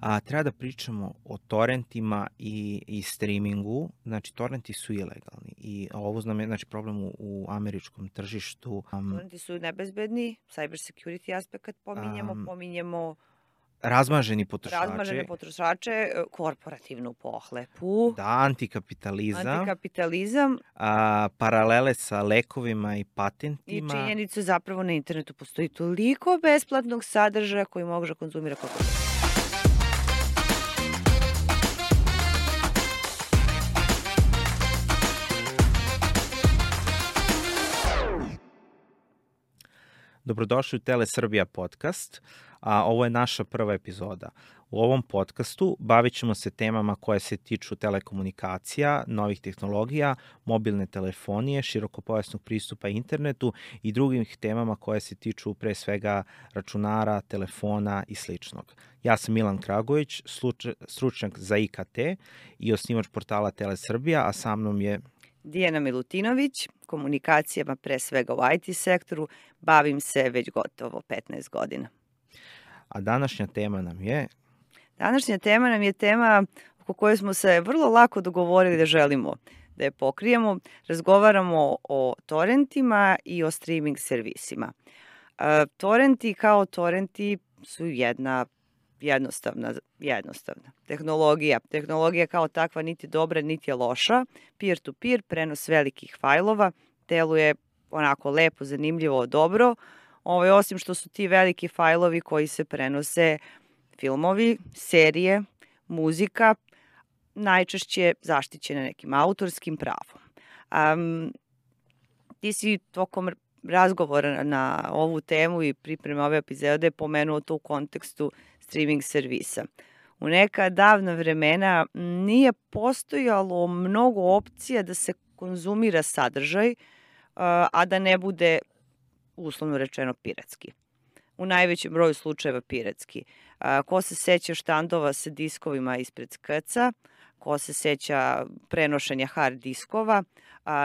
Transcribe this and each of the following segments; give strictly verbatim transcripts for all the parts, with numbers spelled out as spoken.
a treba da pričamo o torrentima i, i streamingu. Znači, torrenti su ilegalni i ovo znam je znači, problem u, u američkom tržištu. Um, Torrenti su nebezbedni, cyber security aspekt pominjemo, um, pominjemo razmaženi potrošače. razmažene potrošače, korporativnu pohlepu, Da, antikapitalizam, antikapitalizam a, paralele sa lekovima i i patentima. činjenicu zapravo na internetu postoji toliko besplatnog sadržaja koji može konzumira kako god. Dobrodošli u Tele Srbija podcast, a ovo je naša prva epizoda. U ovom podcastu bavit ćemo se temama koje se tiču telekomunikacija, novih tehnologija, mobilne telefonije, širokopojasnog pristupa internetu i drugih temama koje se tiču pre svega računara, telefona i sličnog. Ja sam Milan Kragović, stručnjak za I K T i osnivač portala Tele Srbija, a sa mnom je Dijana Milutinović, komunikacijama pre svega u I T sektoru, bavim se već gotovo petnaest godina. A današnja tema nam je... Današnja tema nam je tema oko koje smo se vrlo lako dogovorili da želimo da je pokrijemo. Razgovaramo o torrentima i o streaming servisima. E, torrenti kao torrenti su jedna jednostavna, jednostavna tehnologija. Tehnologija kao takva niti dobra, niti je loša. Peer-to-peer, prenos velikih fajlova, deluje onako lepo, zanimljivo, dobro. Ovo, osim što su ti veliki fajlovi koji se prenose filmovi, serije, muzika, najčešće zaštićene nekim autorskim pravom. Um, ti si tokom razgovora na ovu temu i pripreme ove epizode pomenuo to u kontekstu streaming servisa. U neka davna vremena nije postojalo mnogo opcija da se konzumira sadržaj, a da ne bude, uslovno rečeno, piratski. U najvećem broju slučajeva piratski. Ko se seća štandova sa diskovima ispred skrca, ko se seća prenošenja hard diskova,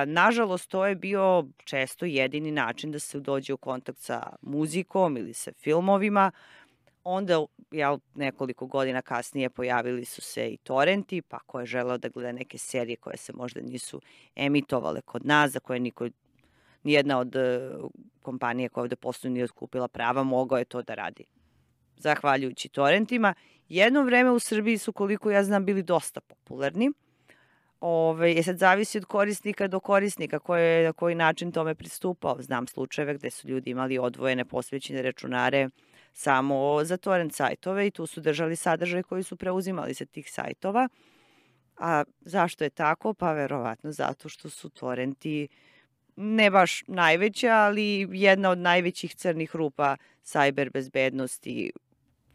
nažalost to je bio često jedini način da se dođe u kontakt sa muzikom ili sa filmovima. Onda, jel, nekoliko godina kasnije pojavili su se i torrenti, pa ko je želeo da gleda neke serije koje se možda nisu emitovale kod nas, za koje niko, nijedna od kompanije koja ovde posluju nije otkupila prava, mogao je to da radi. Zahvaljujući torrentima. Jedno vreme u Srbiji su, koliko ja znam, bili dosta popularni. Ove, je sad zavisi od korisnika do korisnika koje, na koji način tome pristupao. Znam slučajeve gde su ljudi imali odvojene posvećene računare samo za torrent sajtove i tu su držali sadržaj koji su preuzimali sa tih sajtova. A zašto je tako? Pa verovatno zato što su torrenti ne baš najveća, ali jedna od najvećih crnih rupa sajber bezbednosti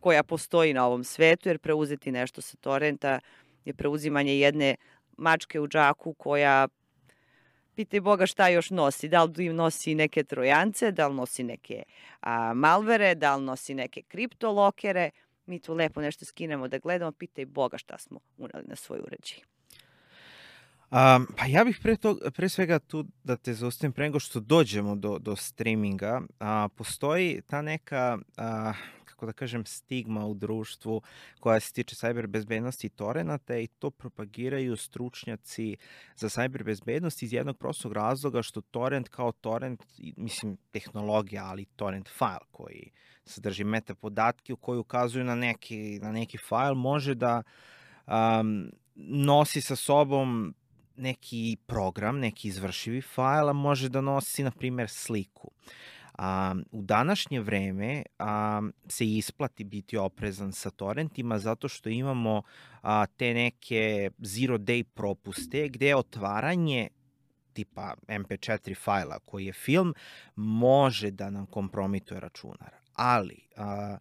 koja postoji na ovom svetu, jer preuzeti nešto sa torrenta je preuzimanje jedne mačke u džaku koja, pitaj Boga šta još nosi, da li nosi neke trojance, da li nosi neke a, malvere, da li nosi neke kriptolokere, mi tu lepo nešto skinemo da gledamo, pitaj Boga šta smo uneli na svoj uređaj. Um, pa ja bih pre, to, pre svega tu da te zaustavim pre nego što dođemo do, do streaminga. A, postoji ta neka, a, kako da kažem, stigma u društvu koja se tiče cyber bezbednosti i torrenata i to propagiraju stručnjaci za cyber bezbednost iz jednog prostog razloga što torrent kao torrent, mislim tehnologija, ali torrent file koji sadrži meta podatke koji ukazuju na neki, na neki file može da um, nosi sa sobom neki program, neki izvršivi fajl, a može da nosi, na primjer, sliku. Um, u današnje vreme um, se isplati biti oprezan sa torrentima zato što imamo uh, te neke zero day propuste gde otvaranje tipa em pe četiri fajla koji je film može da nam kompromituje računar. Ali uh,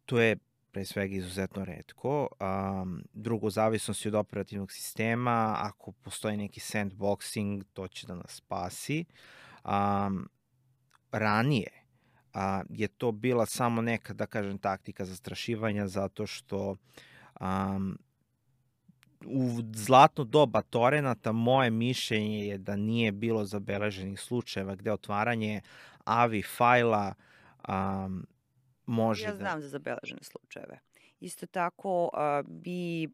to je pre svega izuzetno retko. Um, drugo, zavisnosti od operativnog sistema, ako postoji neki sandboxing, to će da nas spasi. Um, ranije a, je to bila samo neka, da kažem, taktika zastrašivanja zato što um, u zlatno doba torrenata moje mišljenje je da nije bilo zabeleženih slučajeva gde otvaranje A V I fajla um, može ja da... znam za zabeležene slučajeve. Isto tako, a, mi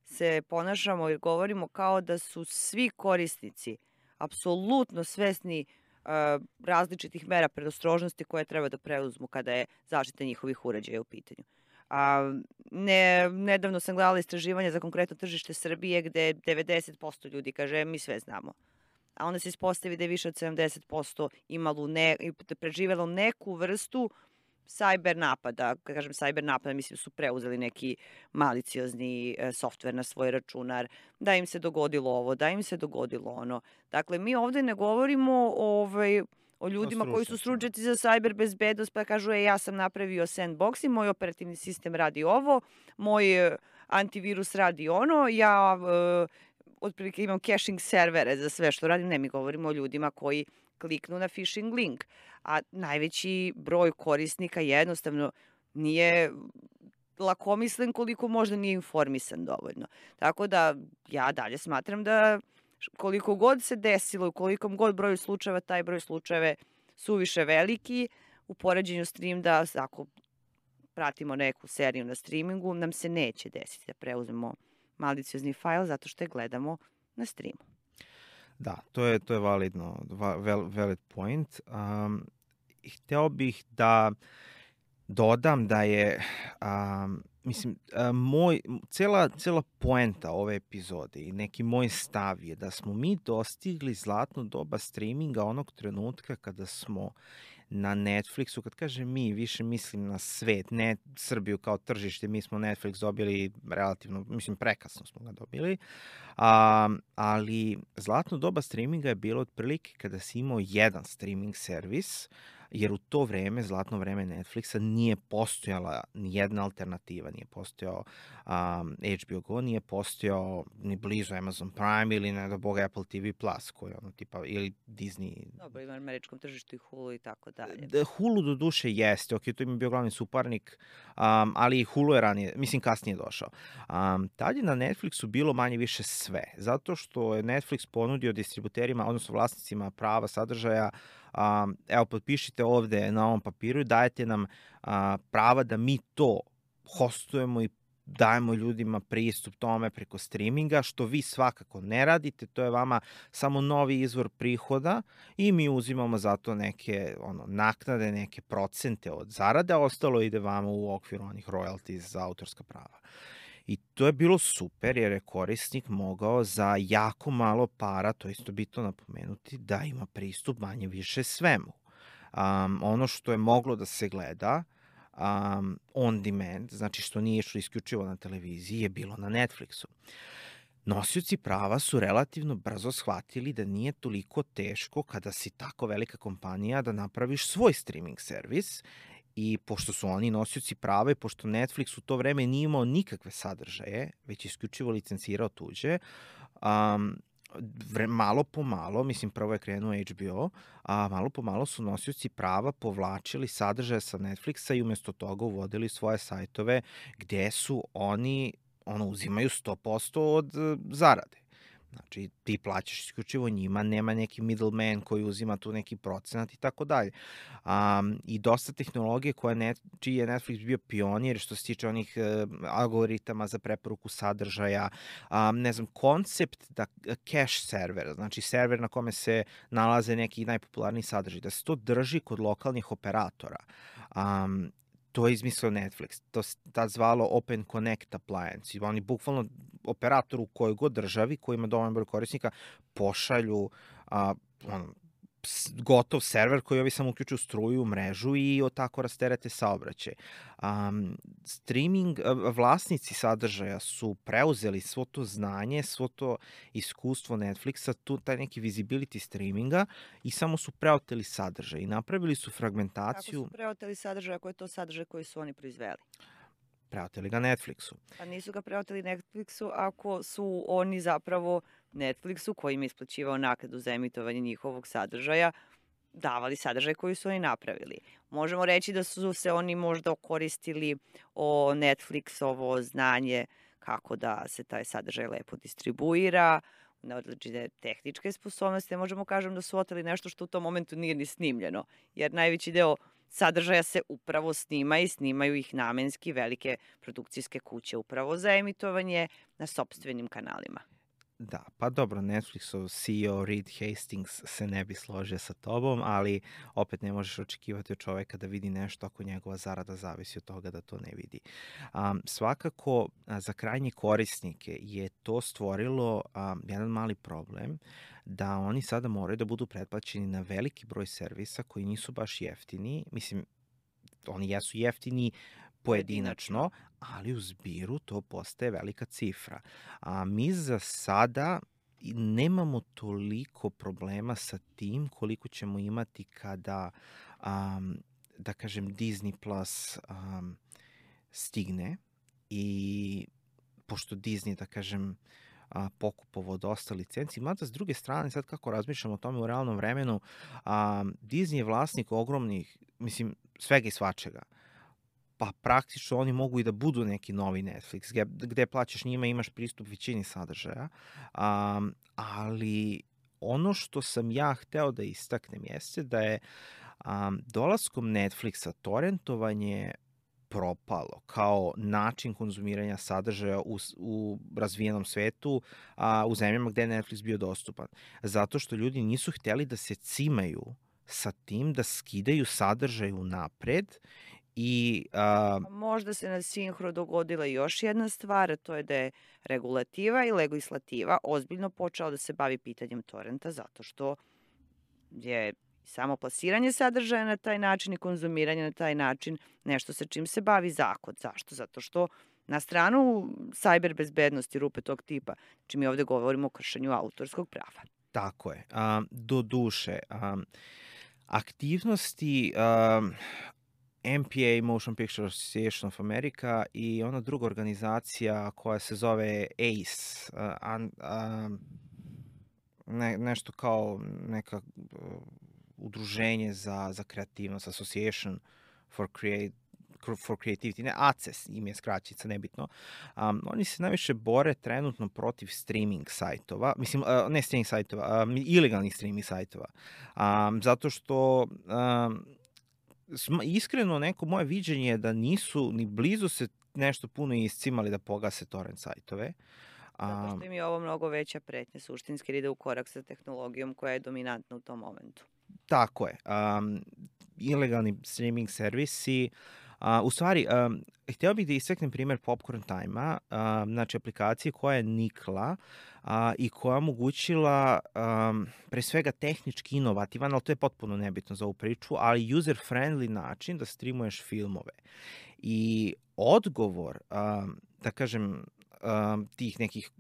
se ponašamo i govorimo kao da su svi korisnici apsolutno svesni a, različitih mera predostrožnosti koje treba da preuzmu kada je zaštita njihovih uređaja u pitanju. A, ne, nedavno sam gledala istraživanje za konkretno tržište Srbije gde devedeset posto ljudi kaže "E, mi sve znamo. A onda se ispostavi da je više od sedamdeset posto imalo ne, preživelo neku vrstu sajber napada. Kad kažem sajber napada, mislim su preuzeli neki maliciozni e, softver na svoj računar, da im se dogodilo ovo, da im se dogodilo ono. Dakle, mi ovde ne govorimo ovaj, o ljudima koji su stručnjacima. stručnjaci za sajber bezbednost, pa kažu, e, ja sam napravio sandbox i moj operativni sistem radi ovo, moj e, antivirus radi ono, ja e, otprilike imam caching servere za sve što radim. Ne, mi govorimo o ljudima koji kliknu na phishing link, a najveći broj korisnika jednostavno nije lakomislen koliko možda nije informisan dovoljno. Tako da ja dalje smatram da koliko god se desilo u kolikom god broju slučajeva, taj broj slučajeve suviše veliki u poređenju stream da ako pratimo neku seriju na streamingu, nam se neće desiti da preuzmemo maliciozni fajl zato što je gledamo na streamu. Da, to je, to je validno, val, valid point. Um, hteo bih da dodam da je, um, mislim, uh, moj, cela, cela poenta ove epizode i neki moj stav je da smo mi dostigli zlatno doba streaminga onog trenutka kada smo na Netflixu, kad kažem mi, više mislim na svet, ne Srbiju kao tržište, mi smo Netflix dobili relativno, mislim prekasno smo ga dobili, a, ali zlatno doba streaminga je bilo otprilike kada si imao jedan streaming servis, jer u to vreme, zlatno vreme Netflixa, nije postojala ni jedna alternativa, nije postojao um, H B O Go, nije postojao ni blizu Amazon Prime ili ne da boga Apple T V Plus, koji ono tipa, ili Disney. Dobro, ima na američkom tržištu i Hulu i tako dalje. Hulu do duše jeste, ok, to im je bio glavni suparnik, um, ali i Hulu je ranije, mislim kasnije došao. Um, tad je na Netflixu bilo manje više sve, zato što je Netflix ponudio distributerima, odnosno vlasnicima prava sadržaja, Um, evo, potpišite ovde na ovom papiru i dajete nam uh, prava da mi to hostujemo i dajemo ljudima pristup tome preko streaminga, što vi svakako ne radite, to je vama samo novi izvor prihoda i mi uzimamo zato neke ono, naknade, neke procente od zarade, a ostalo ide vama u okviru onih royalties za autorska prava. I to je bilo super jer je korisnik mogao za jako malo para, to je isto bitno napomenuti, da ima pristup manje više svemu. Um, ono što je moglo da se gleda um, on demand, znači što nije išlo isključivo na televiziji, je bilo na Netflixu. Nosioci prava su relativno brzo shvatili da nije toliko teško kada si tako velika kompanija da napraviš svoj streaming servis. I pošto su oni nosioci prava i pošto Netflix u to vreme nije imao nikakve sadržaje, već isključivo licencirao tuđe, um, vre, malo po malo, mislim prvo je krenuo H B O, a malo po malo su nosioci prava povlačili sadržaje sa Netflixa i umesto toga uvodili svoje sajtove gde su oni, ono, uzimaju sto posto od uh, zarade. Znači, ti plaćaš isključivo njima, nema neki middleman koji uzima tu neki procenat i tako dalje. Um, I dosta tehnologije koja net, čiji je Netflix bio pionir što se tiče onih uh, algoritama za preporuku sadržaja, um, ne znam, koncept da cache server, znači server na kome se nalaze neki najpopularniji sadržaj, da se to drži kod lokalnih operatora. Um, To je izmislio Netflix, to se tad zvalo Open Connect Appliance. Oni bukvalno operatoru u kojoj god državi, koji ima dovoljno broj korisnika, pošalju a, on, gotov server koji ovi samo uključuju struju u mrežu i od tako rasterete saobraćaj. Um, streaming, vlasnici sadržaja su preuzeli svo to znanje, svo to iskustvo Netflixa, tu taj neki visibility streaminga i samo su preoteli sadržaj i napravili su fragmentaciju. Kako su preoteli sadržaj, ako je to sadržaj koji su oni proizveli? Preoteli ga Netflixu. Pa nisu ga preoteli Netflixu ako su oni zapravo Netflixu, koji im je isplaćivao naknadu za emitovanje njihovog sadržaja, davali sadržaj koji su oni napravili. Možemo reći da su se oni možda koristili o Netflixovo znanje kako da se taj sadržaj lepo distribuira, na odlične tehničke sposobnosti. Možemo kažem da su oteli nešto što u tom momentu nije ni snimljeno, jer najveći deo sadržaja se upravo snima i snimaju ih namenski velike produkcijske kuće upravo za emitovanje na sopstvenim kanalima. Da, pa dobro, Netflixov C E O Reed Hastings se ne bi složio sa tobom, ali opet ne možeš očekivati od čoveka da vidi nešto ako njegova zarada zavisi od toga da to ne vidi. Um, svakako, a, za krajnje korisnike je to stvorilo um, jedan mali problem da oni sada moraju da budu pretplaćeni na veliki broj servisa koji nisu baš jeftini. Mislim, oni jesu jeftini pojedinačno, ali u zbiru to postaje velika cifra. A mi za sada nemamo toliko problema sa tim koliko ćemo imati kada, um, da kažem, Disney Plus um, stigne i pošto Disney, da kažem, a, pokupovao dosta licenci. Mada s druge strane, sad kako razmišljam o tome u realnom vremenu, a, Disney je vlasnik ogromnih, mislim, svega i svačega. Pa praktično oni mogu i da budu neki novi Netflix, gde, gde plaćaš njima, imaš pristup većini sadržaja, um, ali ono što sam ja hteo da istaknem jeste da je um, dolaskom Netflixa torrentovanje propalo kao način konzumiranja sadržaja u, u razvijenom svetu, a, u zemljama gde je Netflix bio dostupan. Zato što ljudi nisu hteli da se cimaju sa tim da skidaju sadržaj unapred i... A... Možda se na sinhro dogodila još jedna stvar, a to je da je regulativa i legislativa ozbiljno počela da se bavi pitanjem torrenta, zato što je samo plasiranje sadržaja na taj način i konzumiranje na taj način nešto sa čim se bavi zakon. Zašto? Zato što na stranu sajber bezbednosti, rupe tog tipa, znači mi ovde govorimo o kršenju autorskog prava. Tako je. Um, do duše, um, aktivnosti um, M P A, Motion Picture Association of America, i ona druga organizacija koja se zove A C E, uh, an, uh, ne, nešto kao neka uh, udruženje za, za kreativnost, Association for Create, for Creativity, ne, A C E S im je skraćica, nebitno. Um, oni se najviše bore trenutno protiv streaming sajtova, mislim, uh, ne streaming sajtova, um, ilegalnih streaming sajtova, um, zato što um, iskreno neko moje viđenje je da nisu ni blizu se nešto puno iscimali da pogase torrent sajtove. Zato što im je ovo mnogo veća pretnja, suštinski, jer ide u korak sa tehnologijom koja je dominantna u tom momentu. Tako je. Um, ilegalni streaming servisi, uh, u stvari, um, hteo bih da istaknem primer Popcorn Time-a, um, znači aplikacije koja je nikla uh, i koja omogućila um, pre svega tehnički inovativan, ali to je potpuno nebitno za ovu priču, ali user-friendly način da streamuješ filmove. I odgovor, um, da kažem, tih nekih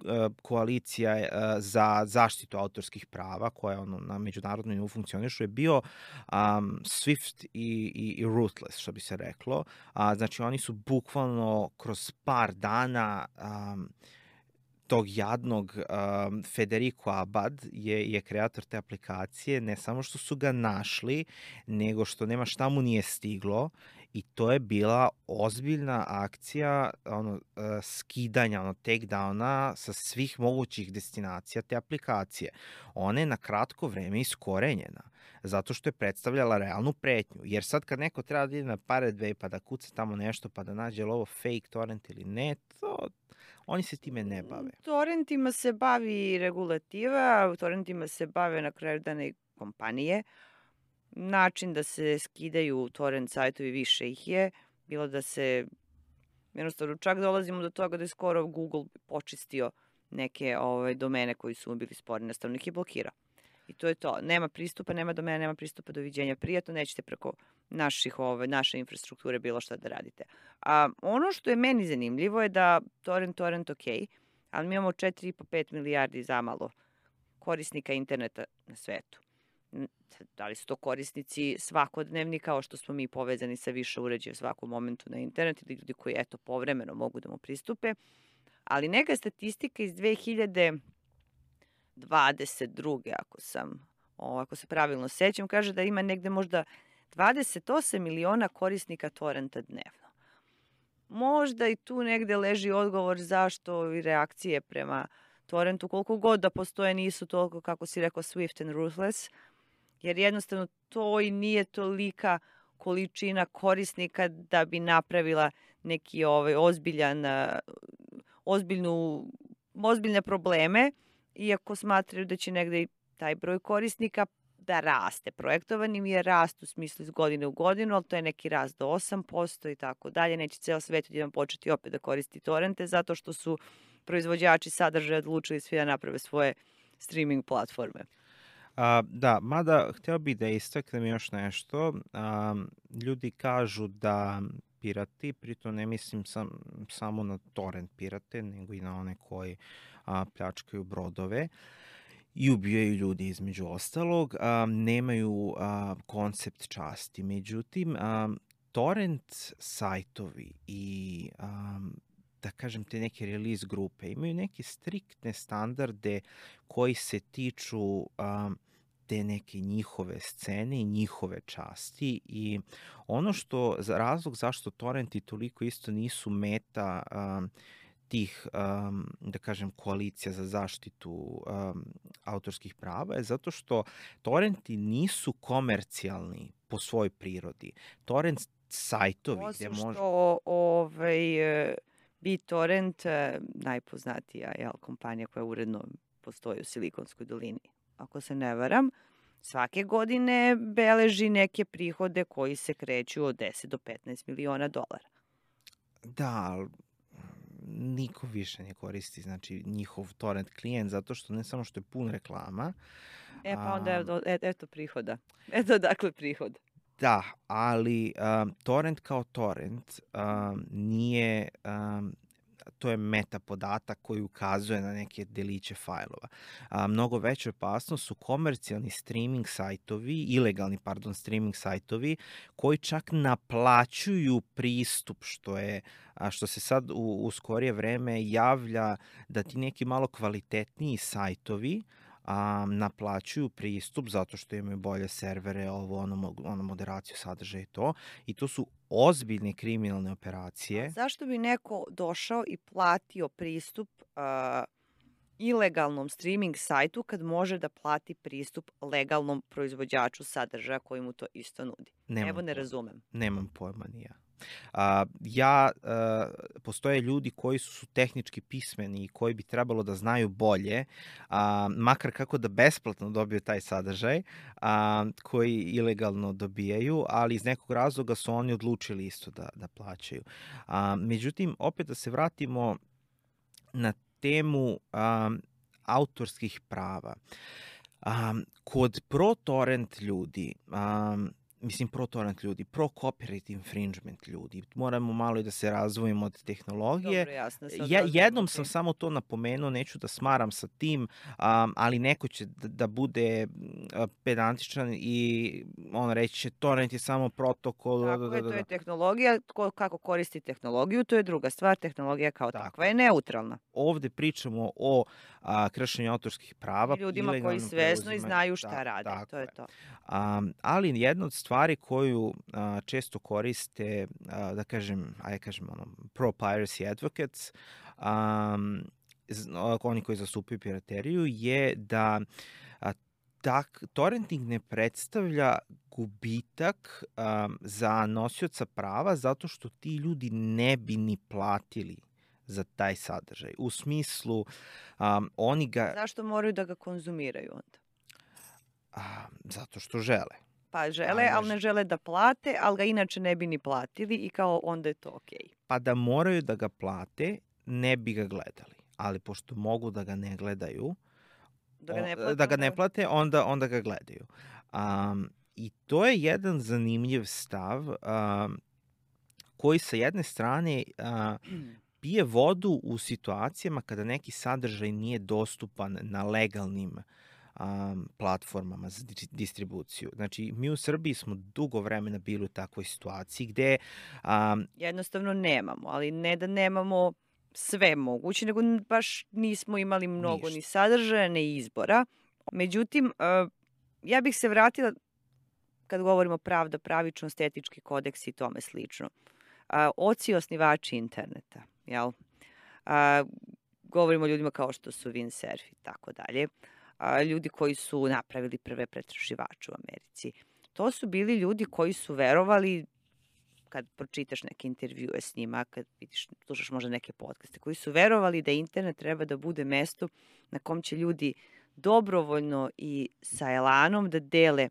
koalicija za zaštitu autorskih prava koja ono na međunarodnom nivou funkcionišu je bio um, Swift i, i, i Ruthless, što bi se reklo. A, znači oni su bukvalno kroz par dana um, tog jadnog um, Federico Abad je, je kreator te aplikacije, ne samo što su ga našli, nego što nema šta mu nije stiglo, i to je bila ozbiljna akcija ono, uh, skidanja, ono, takedowna sa svih mogućih destinacija te aplikacije. Ona je na kratko vreme iskorenjena, zato što je predstavljala realnu pretnju. Jer sad kad neko treba da ide na Pirate Bay pa da kuca tamo nešto pa da nađe ovo fake torrent ili ne, to oni se time ne bave. Torrentima se bavi regulativa, torrentima se bave na kraju dana i kompanije. Način da se skidaju torrent sajtovi više ih je, bilo da se, jednostavno čak dolazimo do toga da je skoro Google počistio neke ove, domene koji su mu bili sporni, jednostavno ih je blokirao. I to je to. Nema pristupa, nema domena, nema pristupa, doviđenja, prijatno, nećete preko naših, ove, naše infrastrukture bilo šta da radite. A ono što je meni zanimljivo je da torrent, torrent, ok, ali mi imamo četiri i po do pet milijardi zamalo korisnika interneta na svetu. Da li su to korisnici svakodnevni kao što smo mi povezani sa više uređaja u svakom momentu na internet ili ljudi koji eto povremeno mogu da mu pristupe, ali neka statistika iz dve hiljade dvadeset druge ako sam, ako se pravilno sećam, kaže da ima negde možda dvadeset osam miliona korisnika torrenta dnevno. Možda i tu negde leži odgovor zašto i reakcije prema torrentu, koliko god da postoje, nisu toliko, kako si rekao, Swift and Ruthless, jer jednostavno to i nije tolika količina korisnika da bi napravila neki ovaj ozbiljan, a, ozbiljnu, ozbiljne probleme, iako smatraju da će negde i taj broj korisnika da raste. Projektovan je rast u smislu iz godine u godinu, ali to je neki rast do osam posto i tako dalje. Neće ceo svet odjednom početi opet da koristi torrente zato što su proizvođači sadržaja odlučili svi da naprave svoje streaming platforme. A, da, mada hteo bih da istaknem još nešto. A, ljudi kažu da pirati, pritom ne mislim sam, samo na torrent pirate, nego i na one koji a, pljačkaju brodove i ubijaju ljudi između ostalog, a, nemaju a, koncept časti. Međutim, a, torrent sajtovi i a, da kažem te neke release grupe imaju neke striktne standarde koji se tiču a, te neke njihove scene i njihove časti i ono što, za razlog zašto torrenti toliko isto nisu meta a, tih, um, da kažem, koalicija za zaštitu um, autorskih prava je zato što torrenti nisu komercijalni po svojoj prirodi. Torrent sajtovi Osim gde može... što ovaj, e, BitTorrent, e, najpoznatija jel, kompanija koja uredno postoji u Silikonskoj dolini, ako se ne varam, svake godine beleži neke prihode koji se kreću od deset do petnaest miliona dolara. Da, ali niko više ne koristi znači njihov torrent klijent zato što ne samo što je pun reklama. E pa onda a, je, eto prihoda. Eto dakle prihod. Da, ali um, torrent kao torrent um, nije, um, to je meta podatak koji ukazuje na neke deliće fajlova. A, mnogo veća opasnost su komercijalni streaming sajtovi, ilegalni, pardon, streaming sajtovi, koji čak naplaćuju pristup, što je, a, što se sad u, u skorije vreme javlja da ti neki malo kvalitetniji sajtovi a, naplaćuju pristup zato što imaju bolje servere, ovo, ono, ono moderaciju sadržaja i to. I to su ozbiljne kriminalne operacije. A zašto bi neko došao i platio pristup uh, ilegalnom streaming sajtu kad može da plati pristup legalnom proizvođaču sadržaja koji mu to isto nudi? Nemam Evo ne pojma. razumem. Nemam pojma ni ja. A, ja, a, postoje ljudi koji su tehnički pismeni i koji bi trebalo da znaju bolje, a, makar kako da besplatno dobiju taj sadržaj, a, koji ilegalno dobijaju, ali iz nekog razloga su oni odlučili isto da, da plaćaju. A, međutim, opet da se vratimo na temu a, autorskih prava. A, kod pro-torrent ljudi, a, mislim pro-torrent ljudi, pro-copyright infringement ljudi. Moramo malo i da se razvojimo od tehnologije. Dobro, jasno. Ja, jednom sam samo to napomenuo, neću da smaram sa tim, um, ali neko će da, da bude uh, pedantičan i on reći će torrent je samo protokol. Tako da, da, je, da, to da. je tehnologija. Ko, kako koristi tehnologiju, to je druga stvar. Tehnologija kao Tako. takva je neutralna. Ovde pričamo o a, kršenju autorskih prava. I ljudima koji ilegalnom svesno i preuzimanju- znaju šta Da, rade. tako To je je. to. Um, ali jedna od stvari koju a, često koriste, a, da kažem, ajde kažem, ono, pro-piracy advocates, um, z- o- oni koji zastupaju pirateriju, je da a, tak, torrenting ne predstavlja gubitak um, za nosioca prava zato što ti ljudi ne bi ni platili za taj sadržaj. U smislu, um, oni ga... Zašto moraju da ga konzumiraju onda? A, zato što žele. Pa žele, Ali ne ali ne ž- žele da plate, ali ga inače ne bi ni platili i kao onda je to okej. Pa da moraju da ga plate, ne bi ga gledali. Ali pošto mogu da ga ne gledaju, Da ga ne o- plate, da ga ne onda- plate, onda, onda ga gledaju. Um, I to je jedan zanimljiv stav um, koji sa jedne strane uh, pije vodu u situacijama kada neki sadržaj nije dostupan na legalnim um, platformama za di- distribuciju. Znači, mi u Srbiji smo dugo vremena bili u takvoj situaciji gde um, Jednostavno nemamo, ali ne da nemamo sve moguće, nego n- baš nismo imali mnogo Ništa. ni sadržaja, ni izbora. Međutim, e, ja bih se vratila kad govorimo pravda, pravičnost, etički kodeks i tome slično. A, oci osnivači interneta, jel? A, govorimo o ljudima kao što su Windsurf i tako dalje. A, ljudi koji su napravili prve pretraživače u Americi. To su bili ljudi koji su verovali, kad pročitaš neke intervjue s njima, kad vidiš, slušaš možda neke podcaste, koji su verovali da internet treba da bude mesto na kom će ljudi dobrovoljno i sa elanom da dele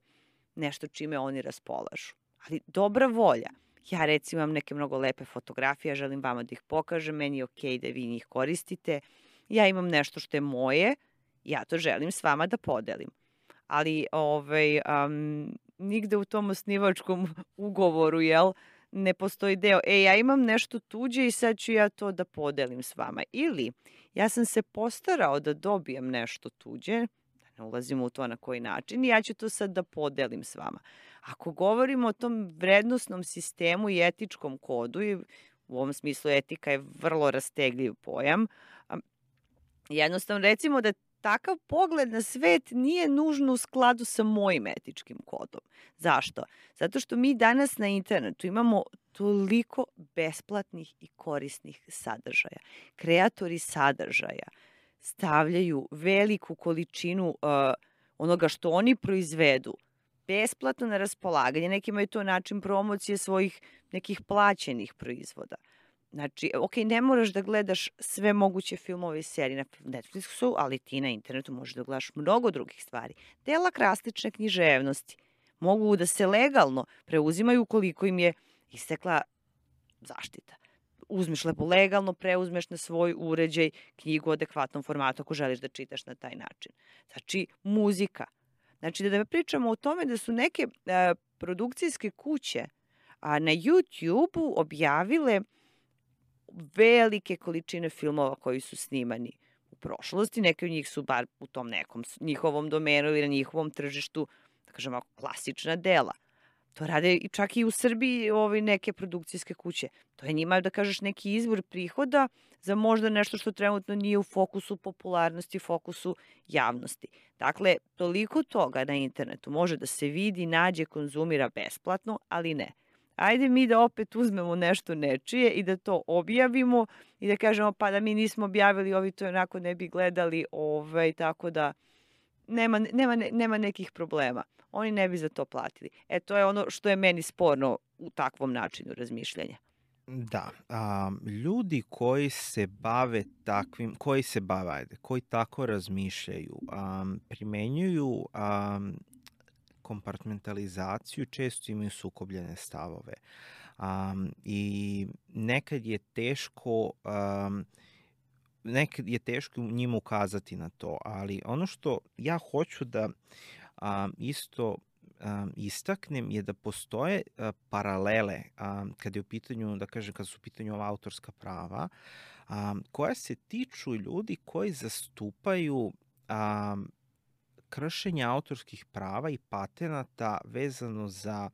nešto čime oni raspolažu. Ali dobra volja. Ja recimo imam neke mnogo lepe fotografije, želim vama da ih pokažem, meni je okej da vi njih koristite. Ja imam nešto što je moje, ja to želim s vama da podelim. Ali ovaj, um, nigde u tom osnivačkom ugovoru, jel, ne postoji deo, e, ja imam nešto tuđe i sad ću ja to da podelim s vama. Ili, ja sam se postarao da dobijem nešto tuđe, da ne ulazimo u to na koji način, i ja ću to sad da podelim s vama. Ako govorimo o tom vrednosnom sistemu i etičkom kodu, i u ovom smislu etika je vrlo rastegljiv pojam, jednostavno recimo da takav pogled na svet nije nužno u skladu sa mojim etičkim kodom. Zašto? Zato što mi danas na internetu imamo toliko besplatnih i korisnih sadržaja. Kreatori sadržaja stavljaju veliku količinu uh, onoga što oni proizvedu besplatno na raspolaganje. Nekima je to način promocije svojih nekih plaćenih proizvoda. Znači, ok, ne moraš da gledaš sve moguće filmove i serije na Netflixu, ali ti na internetu možeš da gledaš mnogo drugih stvari. Dela klasične književnosti mogu da se legalno preuzimaju ukoliko im je istekla zaštita. Uzmeš lepo legalno, preuzmeš na svoj uređaj knjigu u adekvatnom formatu ako želiš da čitaš na taj način. Znači, muzika. Znači, da pričamo o tome da su neke a, produkcijske kuće a, na YouTube-u objavile velike količine filmova koji su snimani u prošlosti. Neki od njih su bar u tom nekom njihovom domenu ili na njihovom tržištu, da kažemo, klasična dela. To rade i čak i u Srbiji ovi neke produkcijske kuće. To je njima, da kažeš, neki izvor prihoda za možda nešto što trenutno nije u fokusu popularnosti, fokusu javnosti. Dakle, toliko toga na internetu može da se vidi, nađe, konzumira besplatno, ali ne. Ajde mi da opet uzmemo nešto nečije i da to objavimo i da kažemo pa da mi nismo objavili, ovi to onako ne bi gledali, ovaj, tako da nema, nema, nema nekih problema. Oni ne bi za to platili. E, to je ono što je meni sporno u takvom načinu razmišljanja. Da, a, ljudi koji se bave takvim, koji se bave, ajde, koji tako razmišljaju, a, primenjuju a, kompartmentalizaciju, često imaju sukobljene stavove. Um, I nekad je teško um, nekad je teško njima ukazati na to, ali ono što ja hoću da um, isto um, istaknem je da postoje uh, paralele um, kad je u pitanju, da kažem, kad su u pitanju ova autorska prava, um, koja se tiču ljudi koji zastupaju um, kršenje autorskih prava i patenata vezano za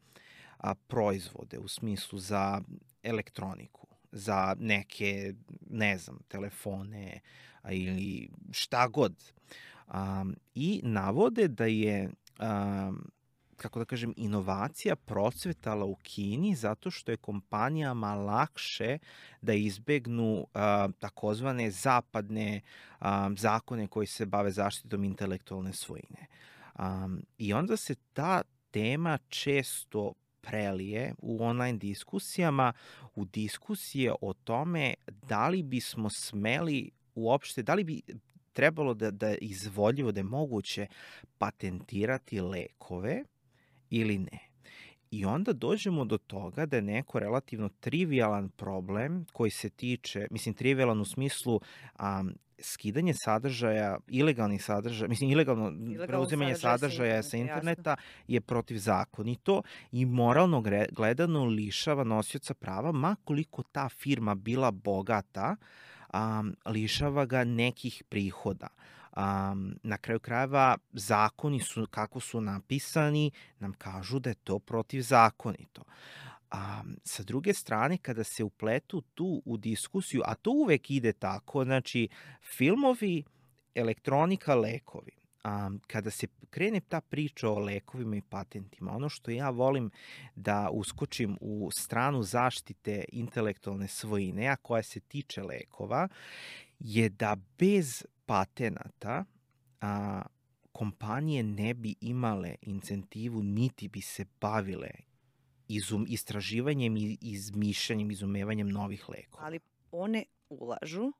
a, proizvode, u smislu za elektroniku, za neke, ne znam, telefone a, ili šta god. A, I navode da je, a, kako da kažem, inovacija procvetala u Kini zato što je kompanijama lakše da izbegnu a, takozvane zapadne a, zakone koji se bave zaštitom intelektualne svojine. A, I onda se ta tema često prelije u online diskusijama, u diskusije o tome da li bismo smeli uopšte, da li bi trebalo da, da izvodljivo, da je moguće patentirati lekove ili ne. I onda dođemo do toga da je neko relativno trivialan problem koji se tiče, mislim trivialan u smislu um, skidanje sadržaja, ilegalnih sadržaja, mislim ilegalno Ilegalno preuzimanje sadržaja sa interneta jasno. Je protivzakonito i moralno gledano lišava nosioca prava, ma koliko ta firma bila bogata, um, lišava ga nekih prihoda. Um, na kraju krajeva zakoni su, kako su napisani, nam kažu da je to protivzakonito. Um, sa druge strane, kada se upletu tu u diskusiju, a to uvek ide tako, znači filmovi, elektronika, lekovi. Um, kada se krene ta priča o lekovima i patentima, ono što ja volim da uskočim u stranu zaštite intelektualne svojine, a koja se tiče lekova, je da bez patenata a, kompanije ne bi imale incentivu, niti bi se bavile izum, istraživanjem i izmišljanjem, izumevanjem novih lekova. Ali one ulažu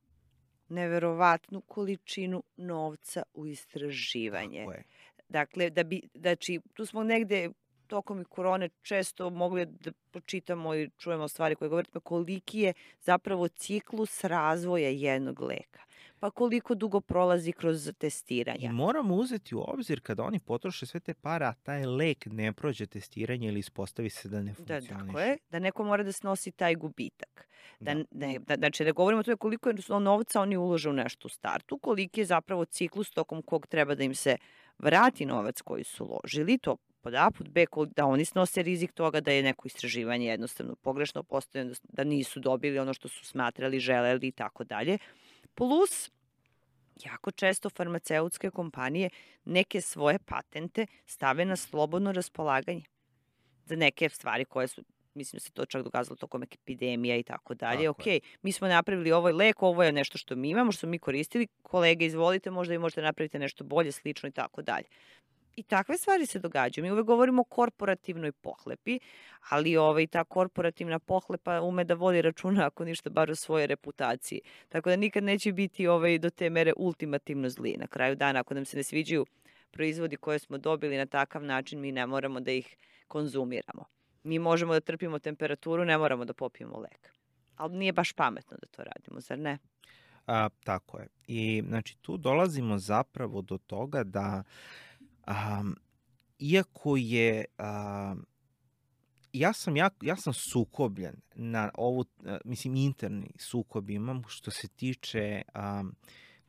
neverovatnu količinu novca u istraživanje. Tako je. Dakle, da bi, znači, tu smo negde tokom i korone često mogli da počitamo i čujemo stvari koje govorite, koliki je zapravo ciklus razvoja jednog leka. Pa koliko dugo prolazi kroz testiranja. I moramo uzeti u obzir kada oni potroše sve te pare, a taj lek ne prođe testiranje ili ispostavi se da ne Da, funkcioniše. tako je, da neko mora da snosi taj gubitak. Da, Da. ne, da, znači, da govorimo o tome koliko je novca oni ulože u nešto u startu, koliki je zapravo ciklus tokom kog treba da im se vrati novac koji su uložili, to pod A, pod B, da oni snose rizik toga da je neko istraživanje jednostavno pogrešno postavljeno, da nisu dobili ono što su smatrali, želeli i tako dalje. Plus, jako često farmaceutske kompanije neke svoje patente stave na slobodno raspolaganje za neke stvari koje su, mislim da se to čak dokazalo tokom epidemija i tako dalje. Ok, mi smo napravili ovaj lek, ovo je nešto što mi imamo, što smo mi koristili, kolege izvolite, možda vi možete napraviti nešto bolje, slično i tako dalje. I takve stvari se događaju. Mi uvek govorimo o korporativnoj pohlepi, ali ovaj, ta korporativna pohlepa ume da vodi računa, ako ništa, bar o svojoj reputaciji. Tako da nikad neće biti ovaj, do te mere ultimativno zli. Na kraju dana, ako nam se ne sviđaju proizvodi koje smo dobili na takav način, mi ne moramo da ih konzumiramo. Mi možemo da trpimo temperaturu, ne moramo da popijemo lek. Ali nije baš pametno da to radimo, zar ne? A, tako je. I znači tu dolazimo zapravo do toga da Um, iako je, um, ja sam, ja, ja sam sukobljen na ovu, uh, mislim, interni sukob imam što se tiče um,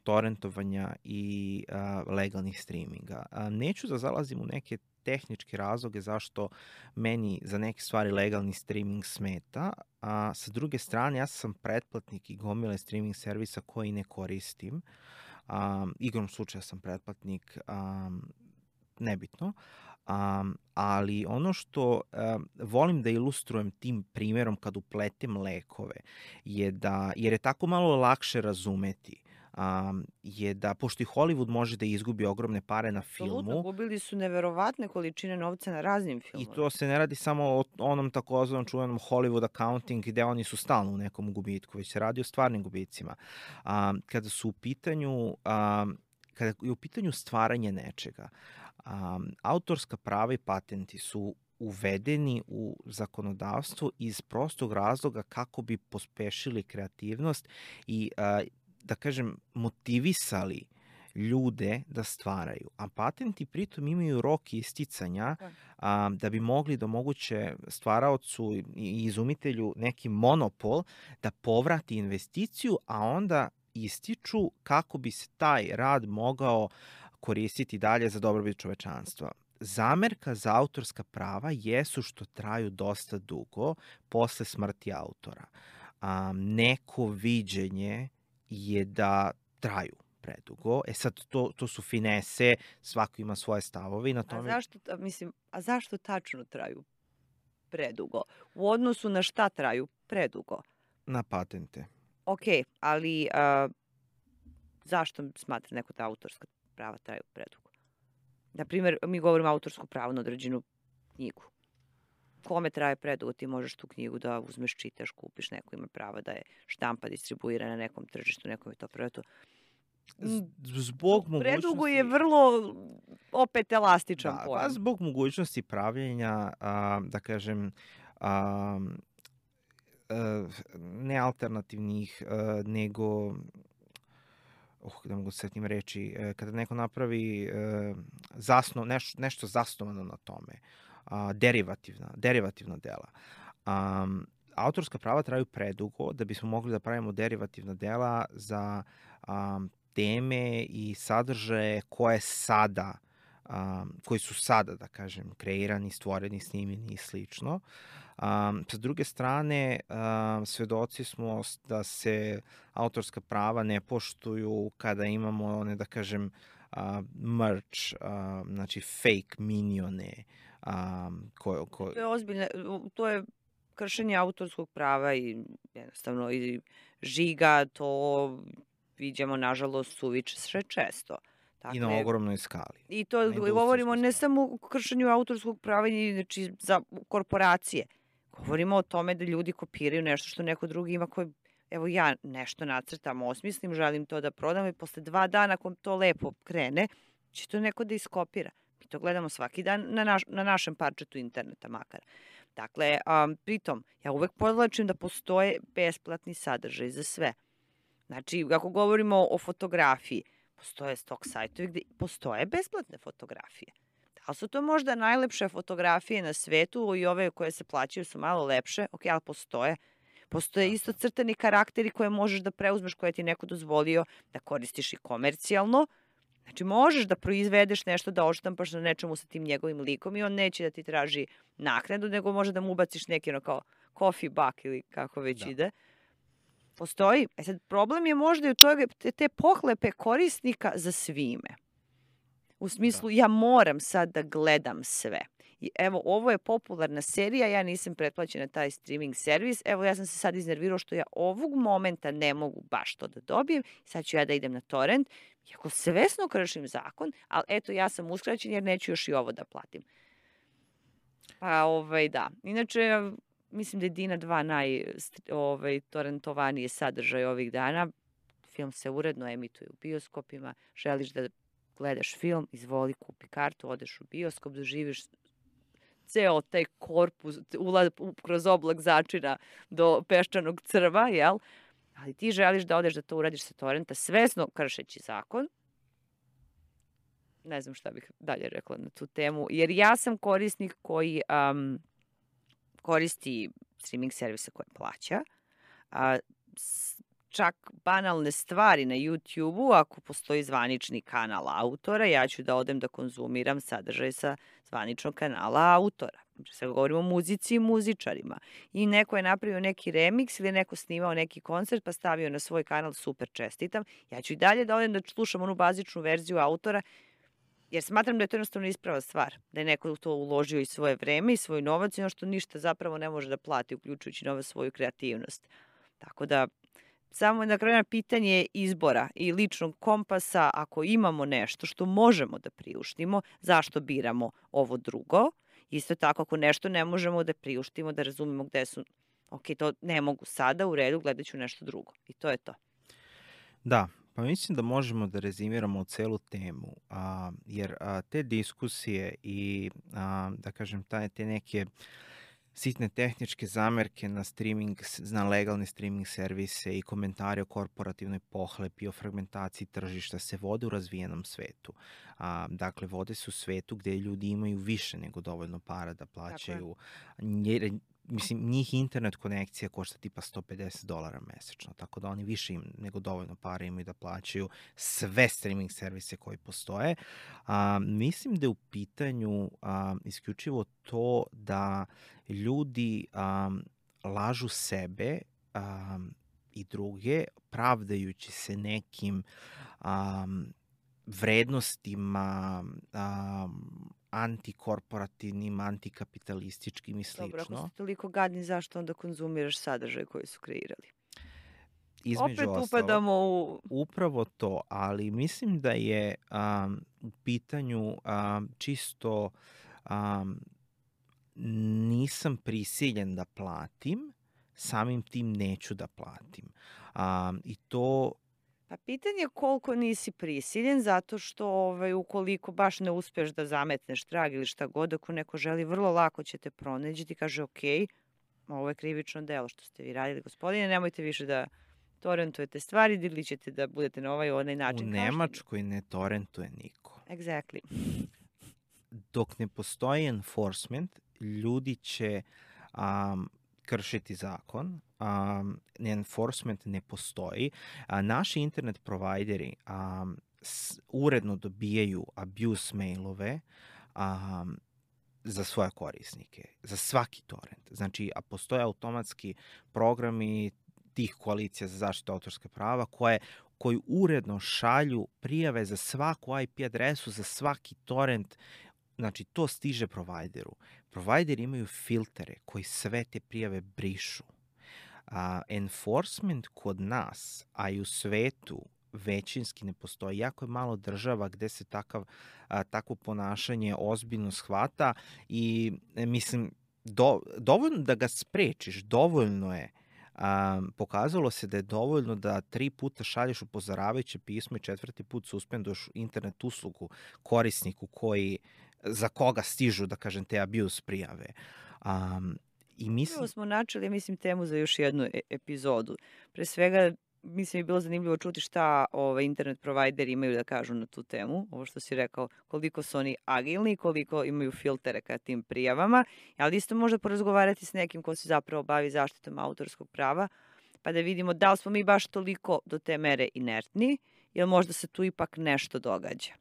torrentovanja i uh, legalnih streaminga. Uh, neću da zalazim u neke tehničke razloge zašto meni za neke stvari legalni streaming smeta, a sa druge strane ja sam pretplatnik i gomile streaming servisa koji ne koristim. Um, igrom slučaja sam pretplatnik, um, nebitno, um, ali ono što um, volim da ilustrujem tim primjerom kad upletem lekove je da, jer je tako malo lakše razumeti, um, je da, pošto i Hollywood može da izgubi ogromne pare na filmu. Absolutno, gubili su neverovatne količine novca na raznim filmovima. I to se ne radi samo o onom takozvanom čuvenom Hollywood accounting gde oni su stalno u nekom gubitku, već se radi o stvarnim gubicima. Um, kada su u pitanju, um, kada je u pitanju stvaranje nečega, Um, autorska prava i patenti su uvedeni u zakonodavstvo iz prostog razloga kako bi pospešili kreativnost i, uh, da kažem, motivisali ljude da stvaraju. A patenti pritom imaju rok isticanja um, da bi mogli da omoguće stvaraocu i izumitelju neki monopol da povrati investiciju, a onda ističu kako bi se taj rad mogao koristiti dalje za dobrobit čovečanstva. Zamerka za autorska prava jesu što traju dosta dugo posle smrti autora. Um, neko viđenje je da traju predugo. E sad, to, to su finese, svako ima svoje stavove i na tome... A zašto, mislim, a zašto tačno traju predugo? U odnosu na šta traju predugo? Na patente. Ok, ali a, zašto smatra neko da autorska prava traju predugo? Naprimjer, mi govorimo autorsku pravo na određenu knjigu. Kome traje predugo? Ti možeš tu knjigu da uzmeš, čitaš, kupiš, neko ima prava da je štampa, distribuira na nekom tržištu, nekom je to preto. Zbog mogućnosti... Predugo je vrlo opet elastičan da, pojam. Pa zbog mogućnosti pravljenja, a, da kažem, a, a, ne alternativnih, a, nego... Uh, da mogu se setim reći, kada neko napravi uh, zasno, neš, nešto zasnovano na tome, uh, derivativna, derivativna dela. Um, autorska prava traju predugo da bismo mogli da pravimo derivativna dela za um, teme i sadržaje koje sada, um, koji su sada, da kažem, kreirani, stvoreni, snimljeni i slično. Um, sa druge strane, um, svedoci smo da se autorska prava ne poštuju kada imamo one, da kažem, uh, merch, uh, znači fake minione. Um, ko, ko... To je ozbiljno, to je kršenje autorskog prava i jednostavno i žiga, to vidimo nažalost suviše često. I na ogromnoj skali. I to govorimo ne samo o kršenju autorskog prava, znači za korporacije. Govorimo o tome da ljudi kopiraju nešto što neko drugi ima koji, evo ja nešto nacrtam, osmislim, želim to da prodam i posle dva dana ako to lepo krene, će to neko da iskopira. Mi to gledamo svaki dan na, naš, na našem parčetu interneta makar. Dakle, um, pritom, ja uvek podlačim da postoje besplatni sadržaj za sve. Znači, ako govorimo o fotografiji, postoje stok sajtovi gde postoje besplatne fotografije. Da li su to možda najlepše fotografije na svetu i ove koje se plaćaju su malo lepše? Ok, ali postoje. Postoje isto crtani karakteri koje možeš da preuzmeš, koje ti neko dozvolio da koristiš i komercijalno. Znači, možeš da proizvedeš nešto, da odštampaš na nečemu sa tim njegovim likom i on neće da ti traži naknadu, nego može da mu ubaciš neki ono kao coffee buck ili kako već da. ide. Postoji. E sad, problem je možda i u toga te, te pohlepe korisnika za svime. U smislu, da. ja moram sad da gledam sve. I evo, ovo je popularna serija, ja nisam pretplaćena na taj streaming servis, evo ja sam se sad iznervirao što ja ovog momenta ne mogu baš to da dobijem, sad ću ja da idem na torrent, iako svesno kršim zakon, ali eto, ja sam uskraćen jer neću još i ovo da platim. Pa, ovaj, da. Inače, mislim da je Dina dva naj ovaj, torrentovanije sadržaj ovih dana. Film se uredno emituje u bioskopima. Želiš da gledaš film, izvoli, kupi kartu, odeš u bioskop, doživiš ceo taj korpus, ulaz kroz oblak začina do peščanog crva, jel? Ali ti želiš da odeš da to uradiš sa torrenta, svesno kršeći zakon. Ne znam šta bih dalje rekla na tu temu, jer ja sam korisnik koji um, koristi streaming servise koje plaća, a čak banalne stvari na YouTube-u, ako postoji zvanični kanal autora, ja ću da odem da konzumiram sadržaj sa zvaničnog kanala autora. Znači, sad govorimo o muzici i muzičarima. I neko je napravio neki remix ili neko snimao neki koncert pa stavio na svoj kanal, super, čestitam. Ja ću i dalje da odem da slušam onu bazičnu verziju autora, jer smatram da je to jednostavno isprava stvar. Da je neko to uložio i svoje vreme i svoj novac i ono što ništa zapravo ne može da plati, uključujući nova svoju kreativnost. Tako da, samo na kraju pitanje izbora i ličnog kompasa, ako imamo nešto što možemo da priuštimo, zašto biramo ovo drugo? Isto tako, ako nešto ne možemo da priuštimo, da razumemo gde su, ok, to ne mogu sada, u redu, gledat ću nešto drugo. I to je to. Da, pa mislim da možemo da rezimiramo celu temu, a, jer a, te diskusije i, a, da kažem, taj, te neke sitne tehničke zamerke na streaming, na legalne streaming servise i komentare o korporativnoj pohlepi, o fragmentaciji tržišta se vode u razvijenom svetu. A, dakle, vode se u svetu gde ljudi imaju više nego dovoljno para da plaćaju. Jer, mislim, njih internet konekcija košta tipa sto pedeset dolara mesečno, tako da oni više im nego dovoljno para imaju da plaćaju sve streaming servise koji postoje. A, mislim da je u pitanju a, isključivo to da ljudi a, lažu sebe a, i druge, pravdajući se nekim a, vrednostima, a, antikorporativnim, antikapitalističkim i slično. Dobro, ako ste toliko gadni, zašto onda konzumiraš sadržaj koji su kreirali? Između Opet ostalo, upadamo u... Upravo to, ali mislim da je um, u pitanju um, čisto um, nisam prisiljen da platim, samim tim neću da platim. Um, I to... Pa pitanje je koliko nisi prisiljen, zato što ovaj, ukoliko baš ne uspeš da zametneš trag ili šta god, ako neko želi, vrlo lako će te pronaći, ti kaže ok, ovo je krivično delo što ste vi radili, gospodine, nemojte više da torrentujete stvari ili ćete da budete na ovaj onaj način. U Nemačkoj ne torrentuje niko. Exactly. Dok ne postoji enforcement, ljudi će um, kršiti zakon, um, enforcement ne postoji. A, naši internet provajderi um, s, uredno dobijaju abuse mailove um, za svoje korisnike, za svaki torrent. Znači, a postoje automatski programi tih koalicija za zaštitu autorske prava koje koji uredno šalju prijave za svaku I P adresu, za svaki torrent. Znači, to stiže provajderu. Provajderi imaju filtere koji sve te prijave brišu. Uh, enforcement kod nas, a i u svetu, većinski ne postoji. Jako je malo država gde se takav, a, takvo ponašanje ozbiljno shvata i e, mislim, do, dovoljno da ga sprečiš, dovoljno je. Um, pokazalo se da je dovoljno da tri puta šalješ upozoravajuće pismo i četvrti put suspenduješ internet uslugu korisniku koji, za koga stižu, da kažem, te abuse prijave. Um, i mislim... Prvo smo načeli, mislim, temu za još jednu e epizodu. Pre svega, mislim, je bilo zanimljivo čuti šta ove, internet provajderi imaju da kažu na tu temu. Ovo što si rekao, koliko su oni agilni, koliko imaju filtere ka tim prijavama, ali isto možda porazgovarati s nekim ko se zapravo bavi zaštitom autorskog prava, pa da vidimo da li smo mi baš toliko do te mere inertni, ili možda se tu ipak nešto događa.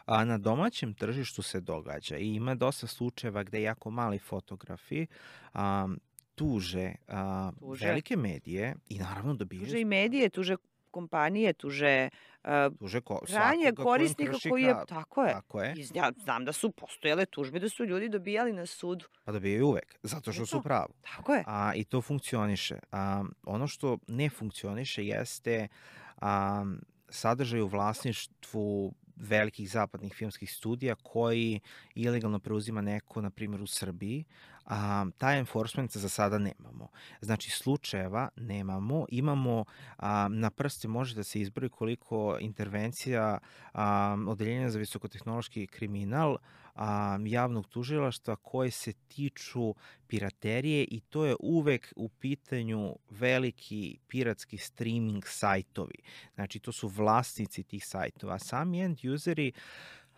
A na domaćem tržištu se događa i ima dosta slučajeva gde jako mali fotografi um, tuže, uh, tuže velike medije i naravno dobijaju... Tuže i medije, tuže kompanije, tuže, uh, tuže ko, krajnje korisnika koji je... Tako je. Tako je. Ja znam da su postojale tužbe, da su ljudi dobijali na sudu. Pa dobijaju uvek, zato što su pravu. Tako je. A, I to funkcioniše. A, ono što ne funkcioniše jeste a, sadržaj u vlasništvu velikih zapadnih filmskih studija koji ilegalno preuzima neko, na primjer u Srbiji, a, taj enforcement za sada nemamo. Znači, slučajeva nemamo, imamo, a, na prste može da se izbroji koliko intervencija a, Odeljenja za visokotehnološki kriminal, a, javnog tužilaštva koje se tiču piraterije i to je uvek u pitanju veliki piratski streaming sajtovi. Znači, to su vlasnici tih sajtova. Sami end useri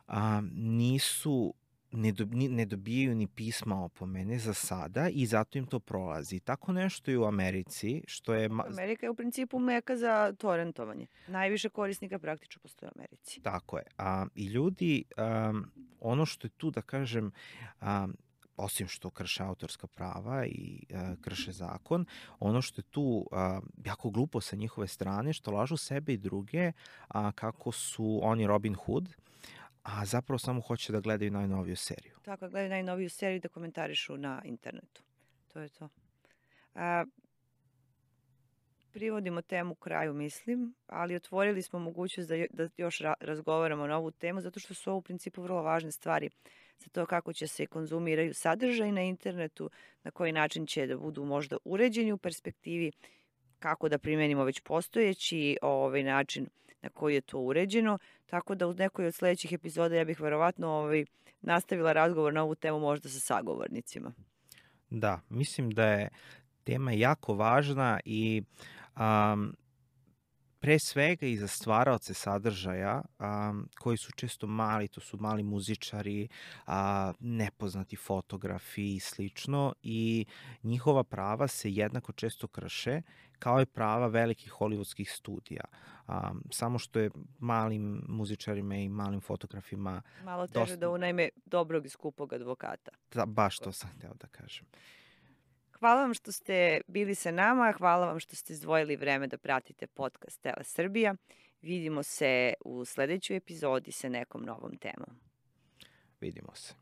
a, nisu ne, do, ne dobijaju ni pisma opomene za sada i zato im to prolazi. Tako nešto i u Americi, što je... Amerika je u principu meka za torrentovanje. Najviše korisnika praktično postoje u Americi. Tako je. A, I ljudi, um, ono što je tu, da kažem, um, osim što krše autorska prava i uh, krše zakon, ono što je tu uh, jako glupo sa njihove strane, što lažu sebe i druge uh, kako su oni Robin Hood, a zapravo samo hoće da gledaju najnoviju seriju. Tako, gledaju najnoviju seriju da komentarišu na internetu. To je to. A, privodimo temu kraju, mislim, ali otvorili smo mogućnost da, da još ra razgovaramo na ovu temu, zato što su ovo u principu vrlo važne stvari za to kako će se konzumiraju sadržaj na internetu, na koji način će da budu možda uređeni u perspektivi, kako da primenimo već postojeći ovaj način na koji je to uređeno, tako da u nekoj od sledećih epizoda ja bih verovatno ovaj, nastavila razgovor na ovu temu možda sa sagovornicima. Da, mislim da je tema jako važna i um, pre svega i za stvaraoce sadržaja um, koji su često mali, to su mali muzičari, a, nepoznati fotografi i slično i njihova prava se jednako često krše kao i prava velikih hollywoodskih studija. Um, samo što je malim muzičarima i malim fotografima malo teže dosta... da unajme dobrog i skupog advokata. Da, baš to sam hteo da kažem. Hvala vam što ste bili sa nama, hvala vam što ste izdvojili vreme da pratite podcast Tele Srbija. Vidimo se u sledećoj epizodi sa nekom novom temom. Vidimo se.